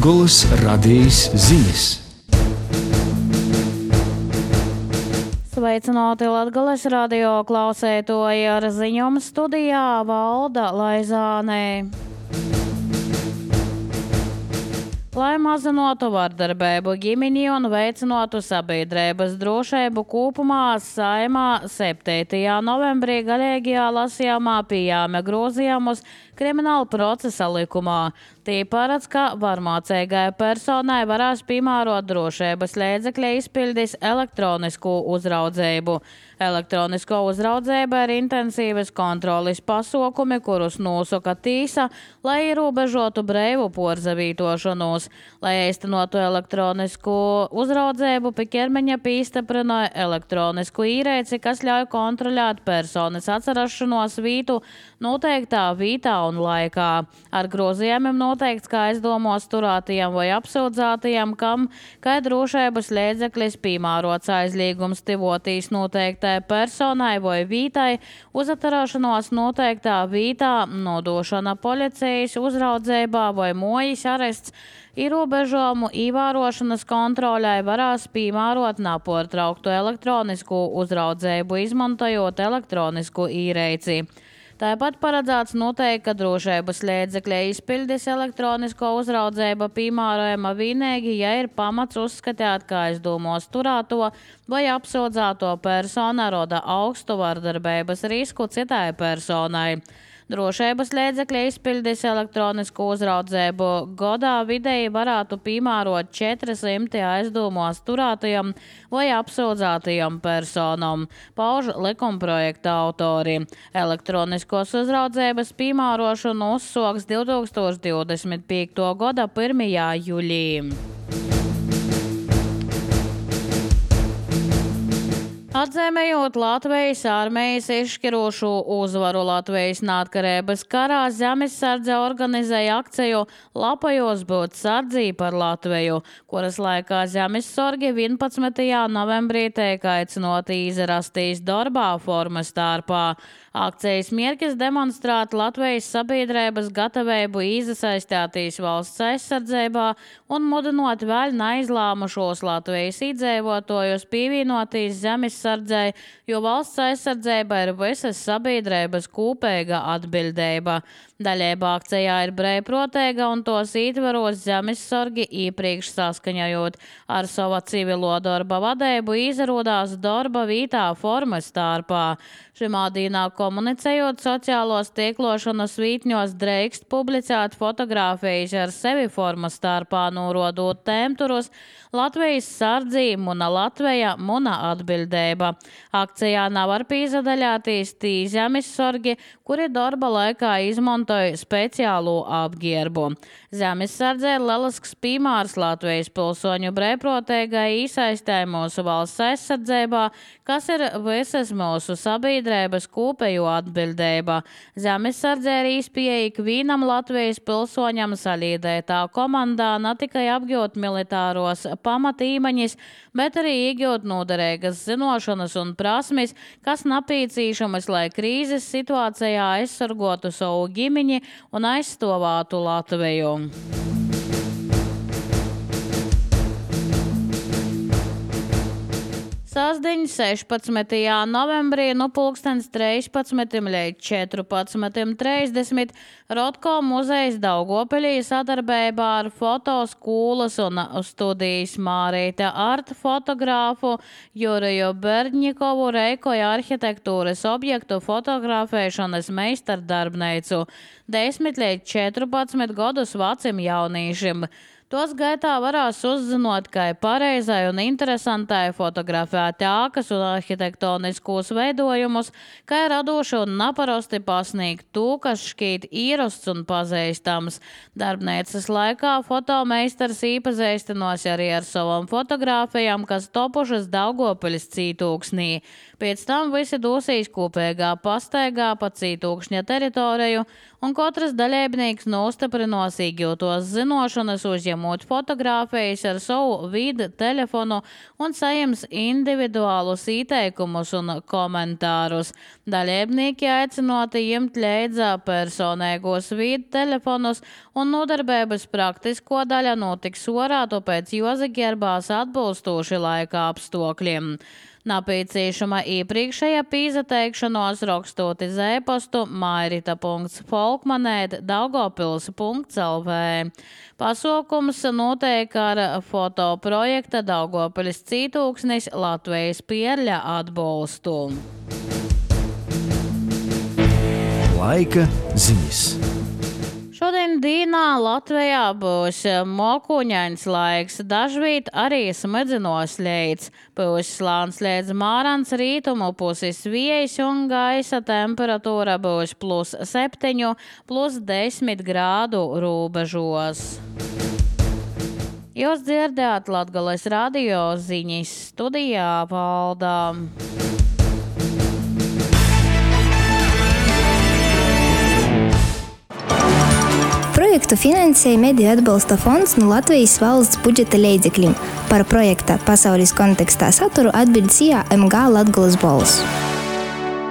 Latgolas radījis ziņas. Sveicināti Latgales radio klausētoji, ar ziņām studijā Valda Laizānē. Lai mazinātu vardarbību ģimenī un veicinātu sabiedrības drošību kopumā, Saeimā 7. novembrī galīgajā lasījumā pieņēma grozījumus Krimināla procesa likumā. Tī paredz, ka varmācīgai personai varēs piemērot drošības līdzekļa izpildīs elektronisku uzraudzību. Elektronisko uzraudzība ir intensīvas kontroles pasākumi, kurus nosaka tīsa, lai ierobežotu brīvu porzavītošanos. Lai īstenotu elektronisku uzraudzību, pie ķermeņa pīstiprināja elektronisku īrēci, kas ļauj kontrolēt personas atcerašanos vītu noteiktā vītā un laikā. Ar grozījumiem noteikts, ka aizdomos turētajiem vai apsūdzētajiem, kam kā drošības līdzeklis piemērots aizliegums tivotīs noteiktai personai vai vītai, uzaturēšanos noteiktā vītā, nodošana policijas uzraudzībā vai mojas arests, ierobežojumu ievērošanas kontrolē varēs piemērot nepārtrauktu elektronisku uzraudzību, izmantojot elektronisku īrēci. Tāpat paredzēts noteikt, ka drošības līdzekļa izpildes elektronisko uzraudzību piemērojama vienīgi, ja ir pamats uzskatīt, ka aizdomos turēto vai apsūdzēto persona roda augstu vardarbības risku citai personai. Drošības līdzekļa izpildīs elektronisku uzraudzību gadā vidēji varētu piemērot 400 aizdomos turētajiem vai apsūdzētajiem personam, pauž likumprojekta autori. Elektroniskos uzraudzības piemērošanu uzsoks 2025. gada 1. jūlijā. Atzīmējot Latvijas armijas izšķirošu uzvaru Latvijas neatkarības karā, Zemesardze organizēja akciju Lapojos būt sardzī par Latviju, kuras laikā zemessorgi 11. novembrī tiek aicinoti izrastīs darbā formas starpā. Akcijas mērķis demonstrēt Latvijas sabiedrības gatavību iesaistīties valsts aizsardzībā un mudinot vēl neizlēmušos Latvijas iedzīvotājus pievienoties zemesardzei, jo valsts aizsardzība ir visas sabiedrības kopīga atbildība. Daļība akcijā ir brīvprātīga un tos ietveros zemessorgi iepriekš saskaņojot ar savu civilo darba vadību izrādās darba vītā formas starpā. Šimā dīnā komunicējot sociālos tīklošanas vītņos drīkst publicēt fotogrāfijas ar sevi formas starpā, norodot tēmturus Latvijas sardzī, Muna Latveja, Muna atbildība. Akcijā nevar pīzadaļāties tī zemessorgi, kuri darba laikā izmantoja speciālo apģērbu. Zemesardzē ir lielisks piemērs Latvijas pilsoņu brīvprātīgai iesaistē mūsu valsts aizsardzībā, kas ir visas mūsu sabiedrības kopējo atbildība. Zemesardzē ir īspēja ikvienam Latvijas pilsoņam salīdētā komandā ne tikai apgūt militāros pamatīmaņas, bet arī iegūt noderīgas zinošanas un prasmes, kas nepieciešamas, lai krīzes situācijā aizsargotu savu ģimeni un aizstāvētu Latviju. Sasdiņ 16. novembrī no 13. līdz 14.30 Rotko muzejs Daugavpilī sadarbībā ar fotoskolas un studijas Mārīte Art fotogrāfu Juriju Berdņikovu reikoja arhitektūras objektu fotografēšanas meistardarbnīcu 10 līdz 14 gadus vecim jaunīšiem. Tos gaitā varēs uzzinot, kā pareizai un interesantai fotografēt ēkas un arhitektoniskos veidojumus, kā radoši un neparasti pasniegt to, kas šķīt īrasts un pazīstams. Darbnīcas laikā fotomeistars iepazīstinos arī ar savām fotogrāfijām, kas topušas Daugavpiļas cītūksnī. Pēc tam visi dosīs kopīgā pastaigā pa Cītūkšņa teritoriju, un katrs dalībnieks nostiprinos iegūtos zinošanas, uzņemot fotogrāfijas ar savu vidu telefonu un saņems individuālus ieteikumus un komentārus. Dalībnieki aicinoti ņemt līdzi personīgos vidu telefonus, un nodarbības praktisko daļa notiks orā, tāpēc jāsaģērbās atbilstoši laika apstākļiem. Nepieciešama iepriekšējā pīzateikšanos rakstot uz e-pastu mairita.folkmanēt@daugavpils.lv. Pasaukums notiek ar fotoprojekta Daugavpilis Cītūksnis Latvijas pierļa atbalstu. Laika ziņas. Šodien dienā Latvijā būs mokuņains laiks, dažviet arī smadzinos līdz. Būs slāns līdz mārans rītumu puses vējs un gaisa temperatūra būs +7, +10 grādu robežos. Jūs dzirdējāt Latgales radio ziņas, studijā Valdā. Projektu finansēja Mediju atbalsta fonds no Latvijas valsts budžeta līdzekļiem. Par projekta pasaules kontekstā saturu atbild MG Latgales balss.